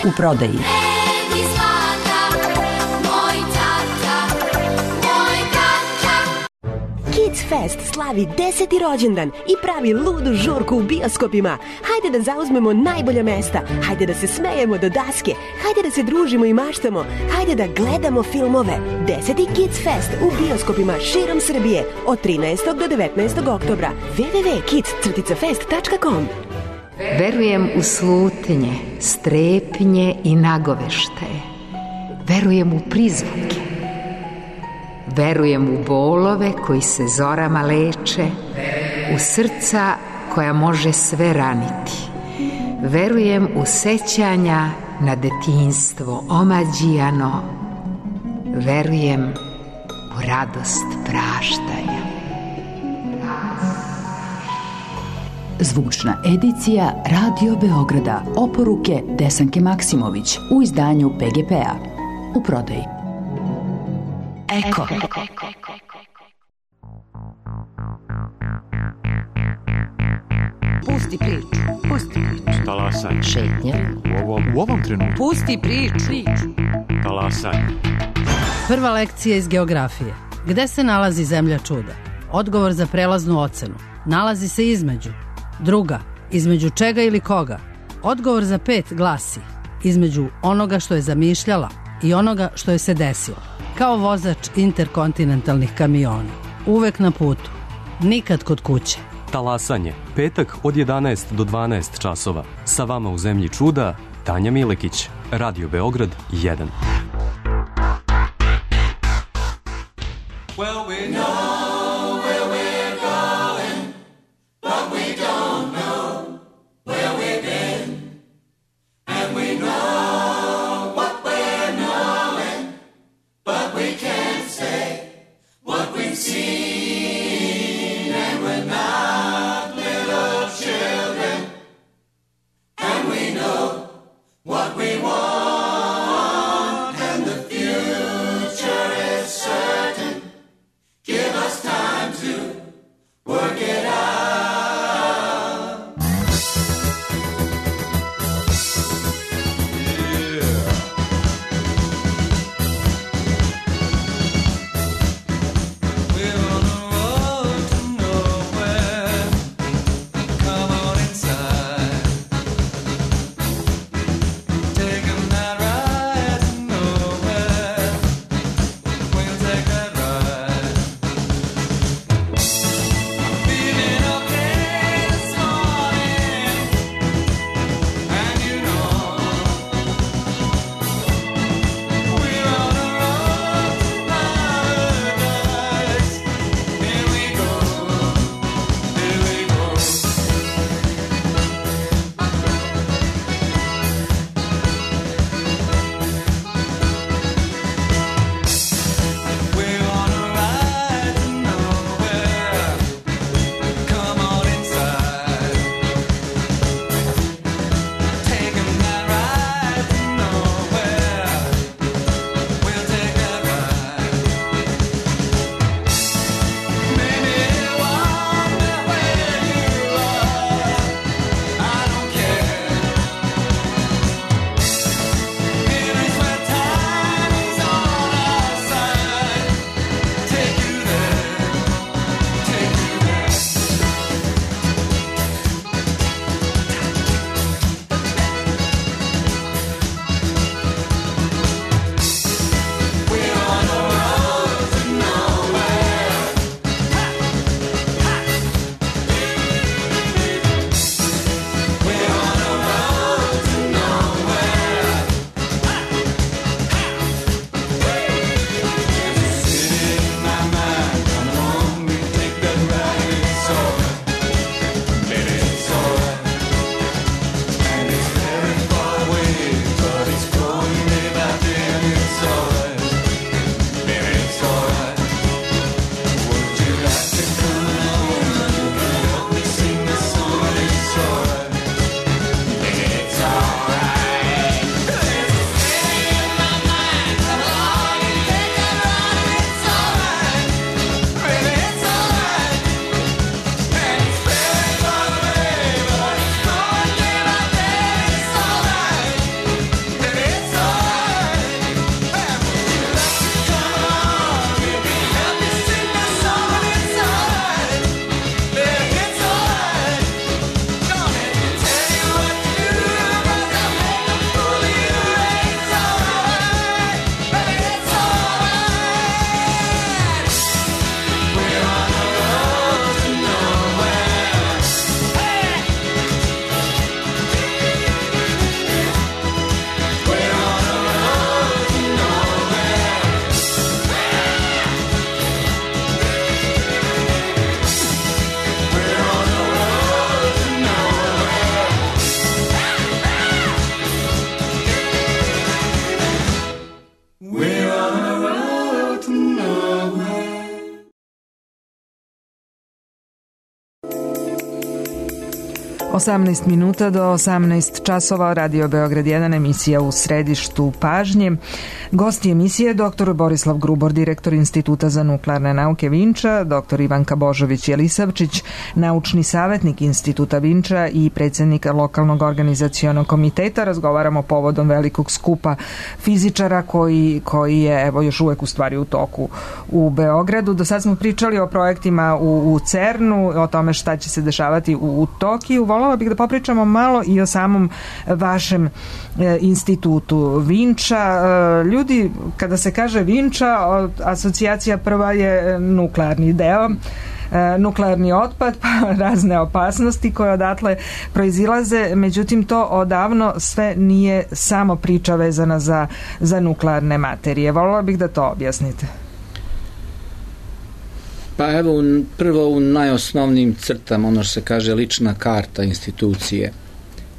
U prodaji Kids Fest slavi deseti rođendan i pravi ludu žurku u bioskopima. Hajde da zauzmemo najbolja mesta, hajde da se smejemo do daske, hajde da se družimo i maštamo, hajde da gledamo filmove. Deseti Kids Fest u bioskopima širom Srbije od trinaestog do devetnaestog oktobra. w w w tačka kids fest tačka com. Verujem u slutnje, strepnje i nagoveštaje. Verujem u prizvuke. Verujem u bolove koji se zorama leče, u srca koja može sve raniti. Verujem u sećanja na detinjstvo omađijano. Verujem u radost praštanja. Zvučna edicija Radio Beograda. Oporuke Desanke Maksimović u izdanju P G P-a. U prodaji. Eko. Pusti priču. Pusti priču. Talasanje. Šetnja. U ovom, u ovom trenutku. Pusti priču. Talasanje. Prva lekcija iz geografije. Gde se nalazi zemlja čuda? Odgovor za prelaznu ocenu. Nalazi se između. Druga. Između čega ili koga? Odgovor za pet glasi. Između onoga što je zamišljala i onoga što je se desilo. Kao vozač interkontinentalnih kamiona. Uvek na putu. Nikad kod kuće. Talasanje. Petak od jedanaest do dvanaest časova. Sa vama u zemlji čuda, Tanja Milekić. Radio Beograd jedan. Well, we know where we're going, but we don't know where we've been. And we know what we're knowing, but we can't say what we've seen. And we're not little children, and we know what we want, and the future is certain. Give us time. osamnaest minuta do osamnaest časova, Radio Beograd jedan, emisija u središtu pažnje. Gosti emisije dr Borislav Grubor, direktor Instituta za nuklearne nauke Vinča, dr Ivanka Božović-Jelisavčić, naučni savjetnik Instituta Vinča i predsjednik lokalnog organizacionog komiteta. Razgovaramo povodom velikog skupa fizičara koji, koji je evo još uvek u stvari u toku u Beogradu. Do sad smo pričali o projektima u, u CERN-u, o tome šta će se dešavati u, u Tokiju. Volala bih da popričamo malo i o samom vašem e, institutu Vinča. E, ljudi, kada se kaže Vinča, asocijacija prva je nuklearni deo, e, nuklearni otpad, pa razne opasnosti koje odatle proizilaze, međutim to odavno sve nije samo priča vezana za, za nuklearne materije. Volala bih da to objasnite. Pa evo, prvo u najosnovnijim crtama, ono što se kaže lična karta institucije.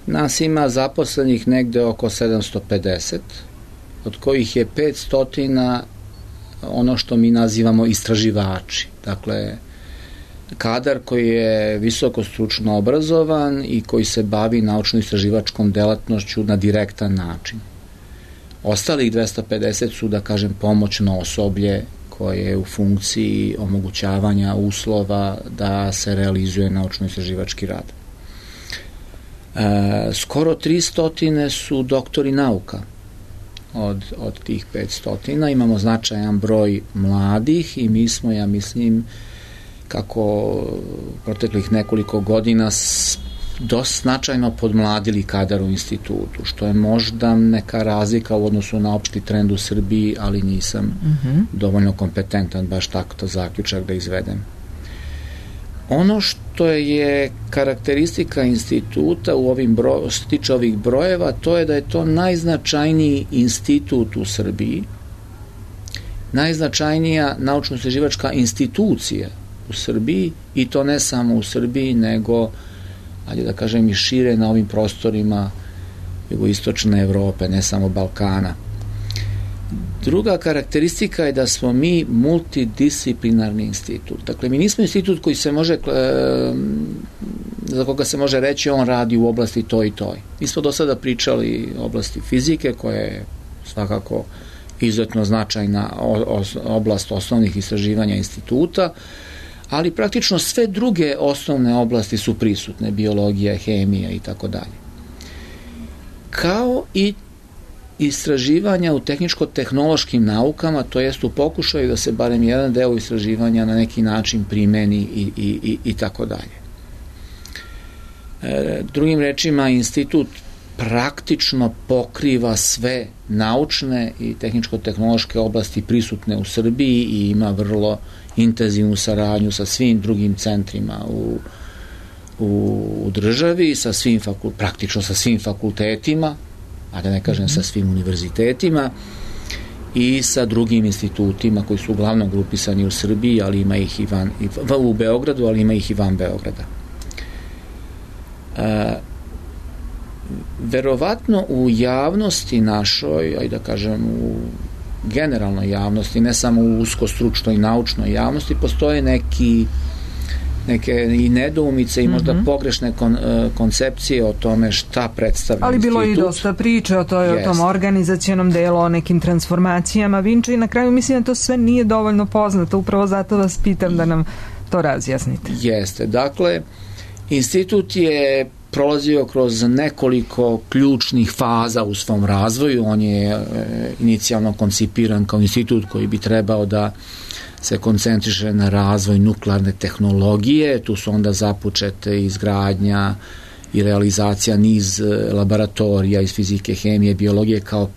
Nas ima zaposlenih negde oko sedamsto pedeset, od kojih je petsto ono što mi nazivamo istraživači. Dakle, kadar koji je visoko stručno obrazovan i koji se bavi naučno-istraživačkom delatnošću na direktan način. Ostalih dvesta pedeset su, da kažem, pomoćno osoblje koje je u funkciji omogućavanja uslova da se realizuje naučno-istraživački rad. E, skoro tristo su doktori nauka od, od tih petsto. Imamo značajan broj mladih i mi smo, ja mislim, kako proteklih nekoliko godina dosta značajno podmladili kadar u institutu, što je možda neka razlika u odnosu na opšti trend u Srbiji, ali nisam mm-hmm. dovoljno kompetentan baš tako to zaključak da izvedem. Ono što je karakteristika instituta u ovim bro, što tiče ovih brojeva, to je da je to najznačajniji institut u Srbiji, najznačajnija naučno-istraživačka institucija u Srbiji, i to ne samo u Srbiji, nego ali da kažem i šire na ovim prostorima jugoistočne Evrope, ne samo Balkana. Druga karakteristika je da smo mi multidisciplinarni institut. Dakle, mi nismo institut koji se može, za koga se može reći on radi u oblasti toj i toj. Mi smo do sada pričali o oblasti fizike, koja je svakako izuzetno značajna oblast osnovnih istraživanja instituta, ali praktično sve druge osnovne oblasti su prisutne, biologija, hemija i tako dalje. Kao i istraživanja u tehničko-tehnološkim naukama, to jest u pokušaju da se barem jedan deo istraživanja na neki način primeni i, i, i, i tako dalje. E, drugim rečima, institut praktično pokriva sve naučne i tehničko-tehnološke oblasti prisutne u Srbiji i ima vrlo intenzivnu saradnju sa svim drugim centrima u, u, u državi, sa svim fakul, praktično sa svim fakultetima, a da ne kažem sa svim univerzitetima i sa drugim institutima koji su uglavnom grupisani u Srbiji, ali ima ih i van, i, u Beogradu, ali ima ih i van Beograda. E, verovatno u javnosti našoj, aj da kažem u generalnoj javnosti, ne samo u uskostručnoj i naučnoj javnosti, postoje neki neke i nedoumice i možda mm-hmm. pogrešne kon, koncepcije o tome šta predstavlja ali institut. Ali bilo i dosta priče o, toj, o tom organizacionom delu, o nekim transformacijama Vinča i na kraju mislim da to sve nije dovoljno poznato, upravo zato vas pitam da nam to razjasnite. Jeste, dakle, institut je prolazio kroz nekoliko ključnih faza u svom razvoju. On je e, inicijalno koncipiran kao institut koji bi trebao da se koncentriše na razvoj nuklearne tehnologije. Tu su onda započete izgradnja i realizacija niz laboratorija iz fizike, hemije, biologije kao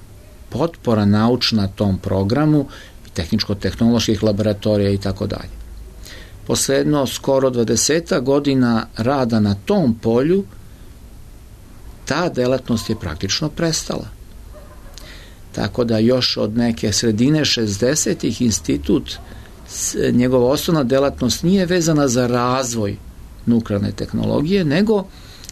potpora naučna tom programu, tehničko-tehnoloških laboratorija i tako dalje. Posledno skoro dvadeset godina rada na tom polju ta delatnost je praktično prestala. Tako da još od neke sredine šezdesetih institut, njegova osnovna delatnost nije vezana za razvoj nuklearne tehnologije, nego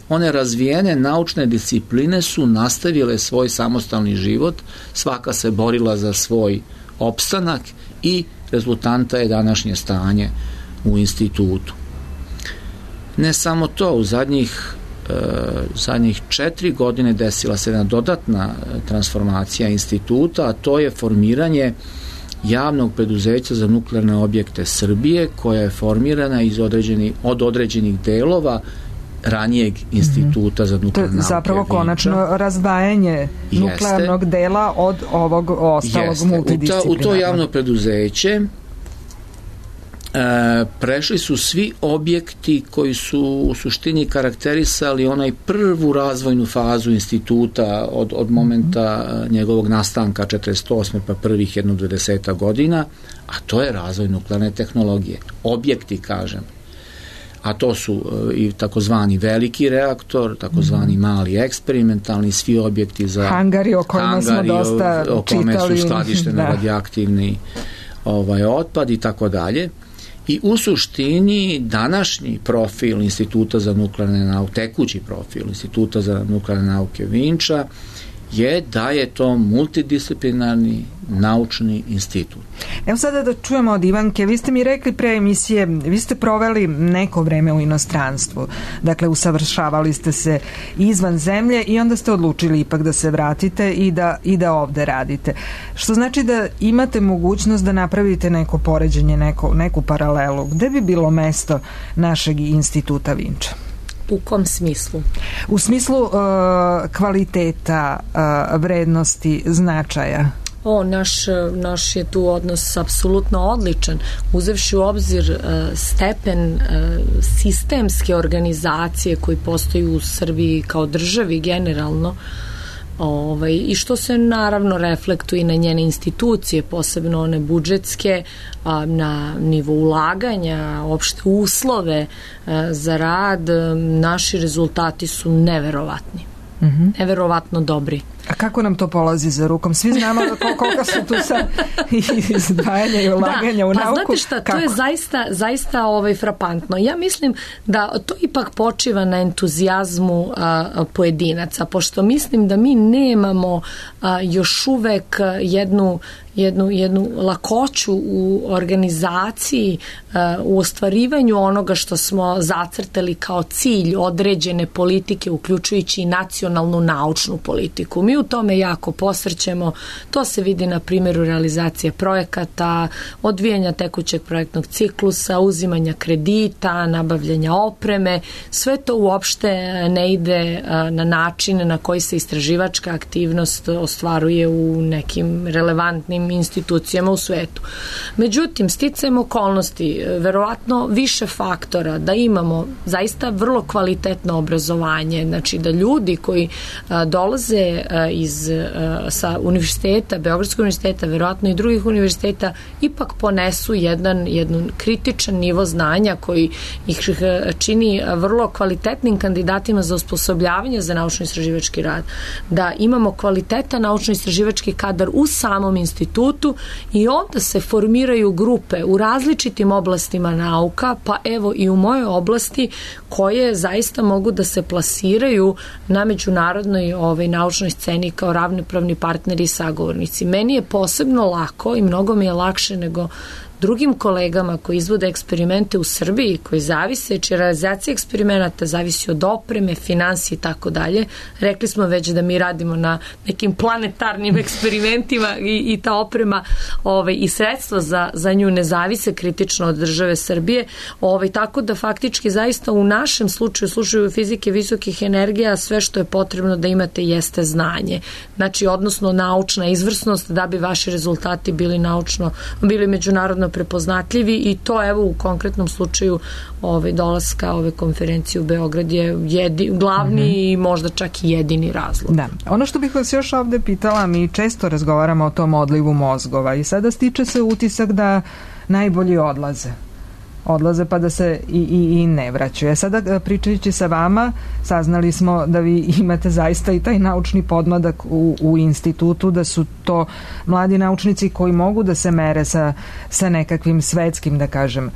one razvijene naučne discipline su nastavile svoj samostalni život, svaka se borila za svoj opstanak i rezultanta je današnje stanje u institutu. Ne samo to, u zadnjih zadnjih četiri godine desila se jedna dodatna transformacija instituta, a to je formiranje javnog preduzeća za nuklearne objekte Srbije, koja je formirana iz određenih, od određenih delova ranijeg instituta mm-hmm. za nuklearne nauke. To je zapravo konačno razdvajanje Jeste. nuklearnog dela od ovog ostalog Jeste. multidisciplinarnog. U, ta, u to javno preduzeće E, prešli su svi objekti koji su u suštini karakterisali onaj prvu razvojnu fazu instituta od, od momenta mm-hmm. njegovog nastanka četrdeset osme pa prvih jedno dvadeset godina, a to je razvoj nuklearne tehnologije. Objekti, kažem. A to su e, i takozvani veliki reaktor, takozvani mm-hmm. mali eksperimentalni, svi objekti za hangari o kojima hangari, smo dosta o, o kome čitali. Su skladišteni da. radioaktivni ovaj, otpad i tako dalje. I u suštini današnji profil Instituta za nuklearne nauke, tekući profil Instituta za nuklearne nauke Vinča je da je to multidisciplinarni naučni institut. Evo sada da čujemo od Ivanke, vi ste mi rekli pre emisije, vi ste proveli neko vreme u inostranstvu, dakle usavršavali ste se izvan zemlje i onda ste odlučili ipak da se vratite i da, i da ovde radite. Što znači da imate mogućnost da napravite neko poređenje, neko, neku paralelu. Gde bi bilo mesto našeg instituta Vinča? U kom smislu? U smislu uh, kvaliteta, uh, vrednosti, značaja. O, naš, naš je tu odnos apsolutno odličan. Uzevši u obzir uh, stepen uh, sistemske organizacije koji postoji u Srbiji kao državi generalno, Ovaj, i što se naravno reflektuje i na njene institucije, posebno one budžetske, a, na nivo ulaganja, opšte uslove a, za rad, a, naši rezultati su neverovatni. Mm-hmm. Neverovatno dobri. A kako nam to polazi za rukom? Svi znamo koliko su tu sad izdvajanja i ulaganja da, u pa nauku. Znate šta, kako? To je zaista, zaista ovaj, frapantno. Ja mislim da to ipak počiva na entuzijazmu a, pojedinaca, pošto mislim da mi nemamo a, još uvek jednu jednu, jednu lakoću u organizaciji, u ostvarivanju onoga što smo zacrtali kao cilj određene politike, uključujući i nacionalnu naučnu politiku. Mi u tome jako posrćemo, to se vidi na primjeru realizacije projekata, odvijanja tekućeg projektnog ciklusa, uzimanja kredita, nabavljanja opreme, sve to uopšte ne ide na način na koji se istraživačka aktivnost ostvaruje u nekim relevantnim institucijama u svetu. Međutim, sticajem okolnosti, verovatno više faktora da imamo zaista vrlo kvalitetno obrazovanje, znači da ljudi koji a, dolaze a, iz a, sa univerziteta, Beogradskog univerziteta, verovatno i drugih univerziteta, ipak ponesu jedan, jedan kritičan nivo znanja koji ih čini vrlo kvalitetnim kandidatima za osposobljavanje za naučno-istraživački rad. Da imamo kvalitetan naučno-istraživački kadar u samom institutu i onda se formiraju grupe u različitim oblastima nauka, pa evo i u mojoj oblasti, koje zaista mogu da se plasiraju na međunarodnoj ovaj, naučnoj sceni kao ravnopravni partneri i sagovornici. Meni je posebno lako i mnogo mi je lakše nego drugim kolegama koji izvode eksperimente u Srbiji, koji zavise, čija realizacija eksperimenata zavisi od opreme, finansije i tako dalje. Rekli smo već da mi radimo na nekim planetarnim eksperimentima i, i ta oprema ovaj, i sredstva za, za nju ne zavise kritično od države Srbije. Ovaj, tako da faktički zaista u našem slučaju, slučaju fizike visokih energija, sve što je potrebno da imate jeste znanje. Znači, odnosno naučna izvrsnost da bi vaši rezultati bili naučno, bili međunarodno prepoznatljivi i to evo u konkretnom slučaju ovaj, dolaska ove konferencije u Beograd je jedi, glavni mm-hmm. i možda čak i jedini razlog. Da. Ono što bih vas još ovde pitala, mi često razgovaramo o tom odlivu mozgova i sada stiče se utisak da najbolji odlaze. odlaze pa da se i, i, i ne vraćaju. Sada pričajući sa vama saznali smo da vi imate zaista i taj naučni podmladak u, u institutu, da su to mladi naučnici koji mogu da se mere sa, sa nekakvim svetskim, da kažem,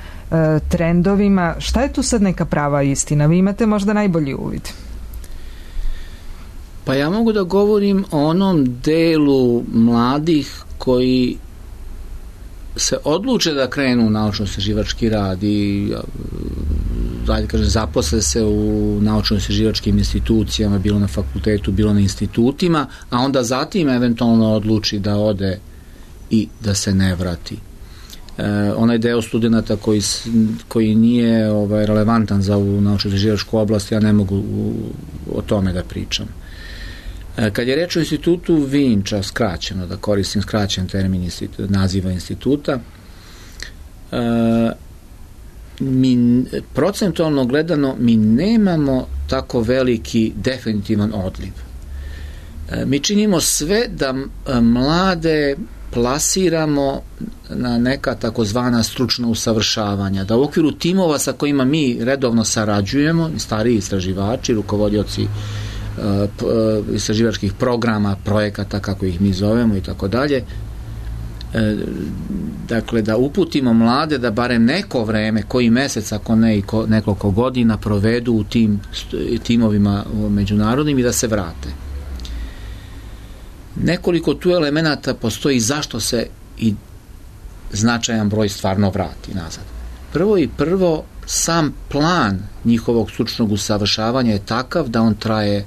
trendovima. Šta je tu sad neka prava istina? Vi imate možda najbolji uvid. Pa ja mogu da govorim o onom delu mladih koji se odluče da krenu u naučno-istraživački rad i dalje kaže, zaposle se u naučno-istraživačkim institucijama, bilo na fakultetu, bilo na institutima, a onda zatim eventualno odluči da ode i da se ne vrati. E, onaj deo studenta koji, koji nije ovaj, relevantan za ovu naučno-istraživačku oblast, ja ne mogu u, o tome da pričam. E, kad je reč o institutu Vinča, skraćeno, da koristim skraćen termin institu, naziva instituta, e, mi, procentualno gledano, mi nemamo tako veliki definitivan odliv. E, mi činimo sve da mlade plasiramo na neka takozvana stručna usavršavanja, da u okviru timova sa kojima mi redovno sarađujemo, stariji istraživači, rukovodioci uh, istraživačkih programa, projekata, kako ih mi zovemo i tako dalje, dakle da uputimo mlade da barem neko vreme, koji mesec, ako ne i ko, nekoliko godina provedu u tim timovima međunarodnim i da se vrate. Nekoliko tu elemenata postoji zašto se i značajan broj stvarno vrati nazad. Prvo i prvo, sam plan njihovog stručnog usavršavanja je takav da on traje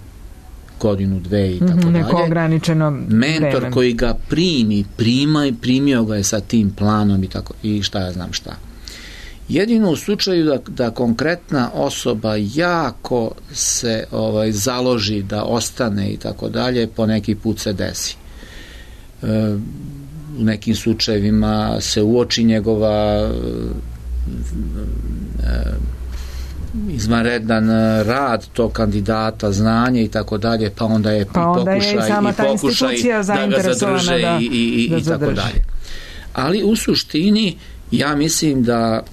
godinu, dve i tako dalje. Neko ograničeno mentor vreme koji ga primi, prima i primio ga je sa tim planom i tako i šta ja znam šta. Jedino u slučaju da, da konkretna osoba jako se ovaj, založi da ostane i tako dalje, po neki put se desi. E, u nekim slučajevima se uoči njegova e, izvanredan rad tog kandidata, znanje i tako dalje, pa onda je pa onda pokušaj je i, sama i pokušaj da ga zadrže da, i, i, da i tako dalje. Ali u suštini ja mislim da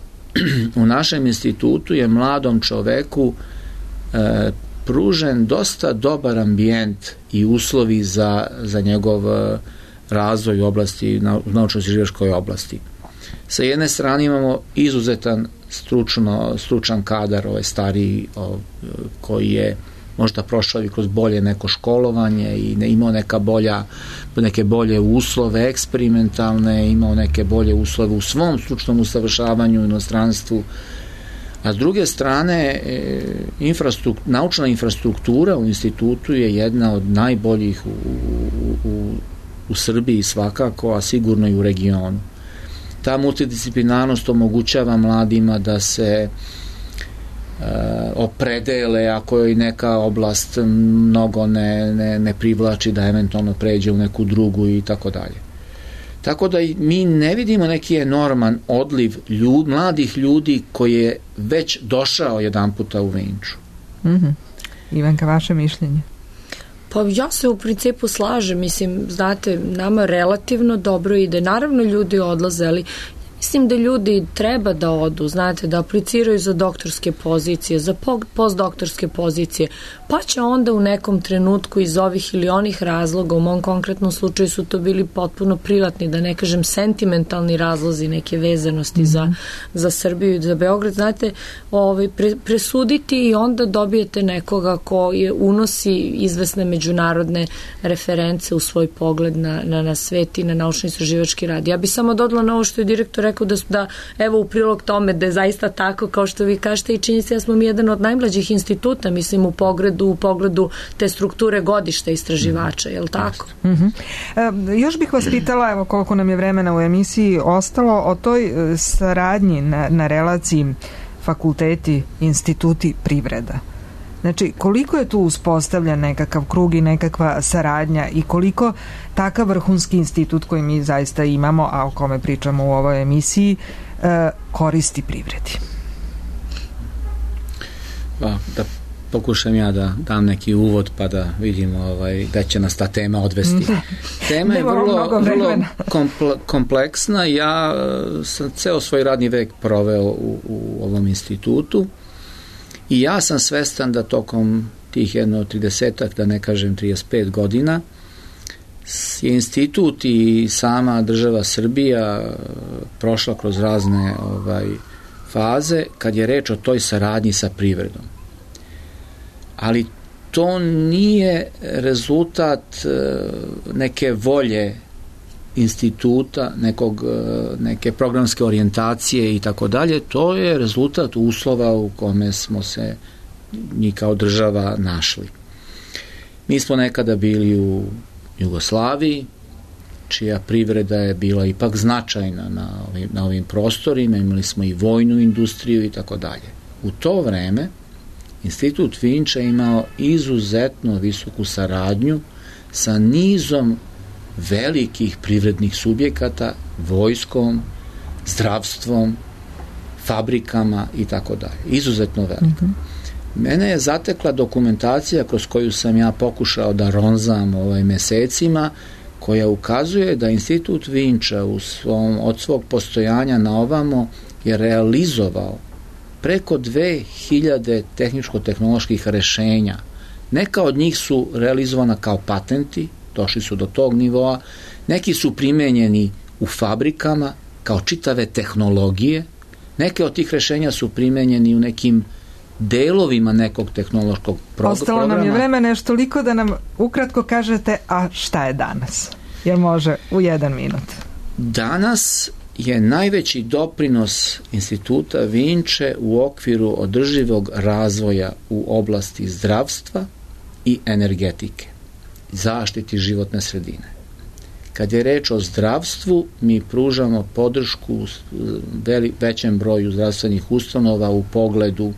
u našem institutu je mladom čoveku e, pružen dosta dobar ambijent i uslovi za, za njegov razvoj u oblasti, na, u naučno-istraživačkoj oblasti. Sa jedne strane imamo izuzetan stručno, stručan kadar, ovaj stariji, ovaj, koji je možda prošao i kroz bolje neko školovanje i ne, imao neka bolja, neke bolje uslove eksperimentalne, imao neke bolje uslove u svom stručnom usavršavanju u inostranstvu. A s druge strane, e, infrastruktura, naučna infrastruktura u institutu je jedna od najboljih u, u, u, u Srbiji svakako, a sigurno i u regionu. Ta multidisciplinarnost omogućava mladima da se uh, opredele ako je neka oblast mnogo ne, ne, ne privlači, da eventualno pređe u neku drugu i tako dalje. Tako da mi ne vidimo neki enorman odliv ljud, mladih ljudi koji je već došao jedan puta u Vinču. Mm-hmm. Ivanka, vaše mišljenje? Pa ja se u principu slažem, mislim, znate, nama relativno dobro ide. Naravno ljudi odlaze, ali mislim da ljudi treba da odu, znate, da apliciraju za doktorske pozicije, za postdoktorske pozicije, pa će onda u nekom trenutku iz ovih ili onih razloga, u mom konkretnom slučaju su to bili potpuno privatni, da ne kažem sentimentalni razlozi, neke vezanosti mm-hmm. za, za Srbiju i za Beograd, znate, ovaj, pre, presuditi i onda dobijete nekoga ko je unosi izvesne međunarodne reference u svoj pogled na, na, na svet i na naučno-istraživački rad. Ja bi samo dodala na ovo što je direktor rekao da, da evo u prilog tome da je zaista tako kao što vi kažete i čini se da smo mi jedan od najmlađih instituta, mislim u pogledu, u pogledu te strukture godišta istraživača, je li tako? Mm-hmm. E, još bih vas pitala, evo koliko nam je vremena u emisiji ostalo, o toj saradnji na, na relaciji fakulteti, instituti, privreda. Znači, koliko je tu uspostavljen nekakav krug i nekakva saradnja i koliko takav vrhunski institut koji mi zaista imamo, a o kome pričamo u ovoj emisiji, koristi privredi? Pa, da pokušam ja da dam neki uvod pa da vidimo ovaj, da će nas ta tema odvesti. Tema je vrlo, vrlo komple, kompleksna. Ja sam ceo svoj radni vek proveo u, u ovom institutu i ja sam svestan da tokom tih jedno tridesetak, da ne kažem trideset pet godina, je institut i sama država Srbija prošla kroz razne ovaj, faze kad je reč o toj saradnji sa privredom. Ali to nije rezultat neke volje instituta, nekog, neke programske orijentacije i tako dalje, to je rezultat uslova u kome smo se mi kao država našli. Mi smo nekada bili u Jugoslaviji, čija privreda je bila ipak značajna na ovim, na ovim prostorima, imali smo i vojnu industriju i tako dalje. U to vreme Institut Vinča imao izuzetno visoku saradnju sa nizom velikih privrednih subjekata, vojskom, zdravstvom, fabrikama i tako dalje. Izuzetno velika. Mm-hmm. Mene je zatekla dokumentacija kroz koju sam ja pokušao da ronzam ovaj mesecima, koja ukazuje da Institut Vinča u svom, od svog postojanja na ovamo je realizovao preko dve hiljade tehničko-tehnoloških rešenja. Neka od njih su realizovana kao patenti, došli su do tog nivoa, neki su primenjeni u fabrikama kao čitave tehnologije, neke od tih rešenja su primenjeni u nekim delovima nekog tehnološkog pro- Ostalo programa. nam je vremena još toliko da nam ukratko kažete, a šta je danas? Jel može u jedan minut? Danas je najveći doprinos Instituta Vinče u okviru održivog razvoja u oblasti zdravstva i energetike, zaštiti životne sredine. Kad je reč o zdravstvu, mi pružamo podršku veli, većem broju zdravstvenih ustanova u pogledu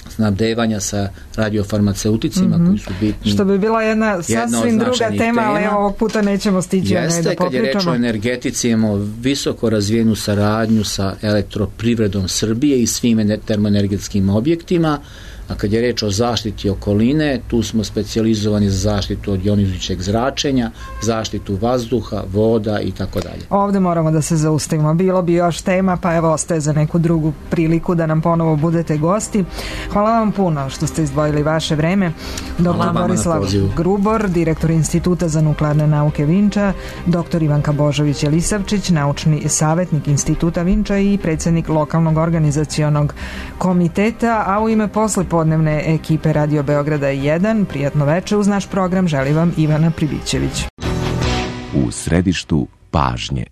snabdevanja sa radiofarmaceuticima, mm-hmm. koji su bitni. Što bi bila jedna sasvim druga tema, tema, ali ovog puta nećemo stići Jeste, da popričamo. kad je reč o energetici, imamo visoko razvijenu saradnju sa elektroprivredom Srbije i svim termoenergetskim objektima, a kad je reč o zaštiti okoline, tu smo specijalizovani za zaštitu od jonizujućeg zračenja, zaštitu vazduha, voda i tako dalje. Ovde moramo da se zaustavimo. Bilo bi još tema, pa evo ostaje za neku drugu priliku da nam ponovo budete gosti. Hvala vam puno što ste izdvojili vaše vreme. doktor Borislav Grubor, direktor Instituta za nuklearne nauke Vinča, doktor Ivanka Božović-Elisavčić, naučni savjetnik Instituta Vinča i predsjednik lokalnog organizacionog komiteta, a u ime posle podnevne ekipe Radio Beograda jedan, prijatno veče uz naš program želi vam Ivana Pribićević. U središtu pažnje.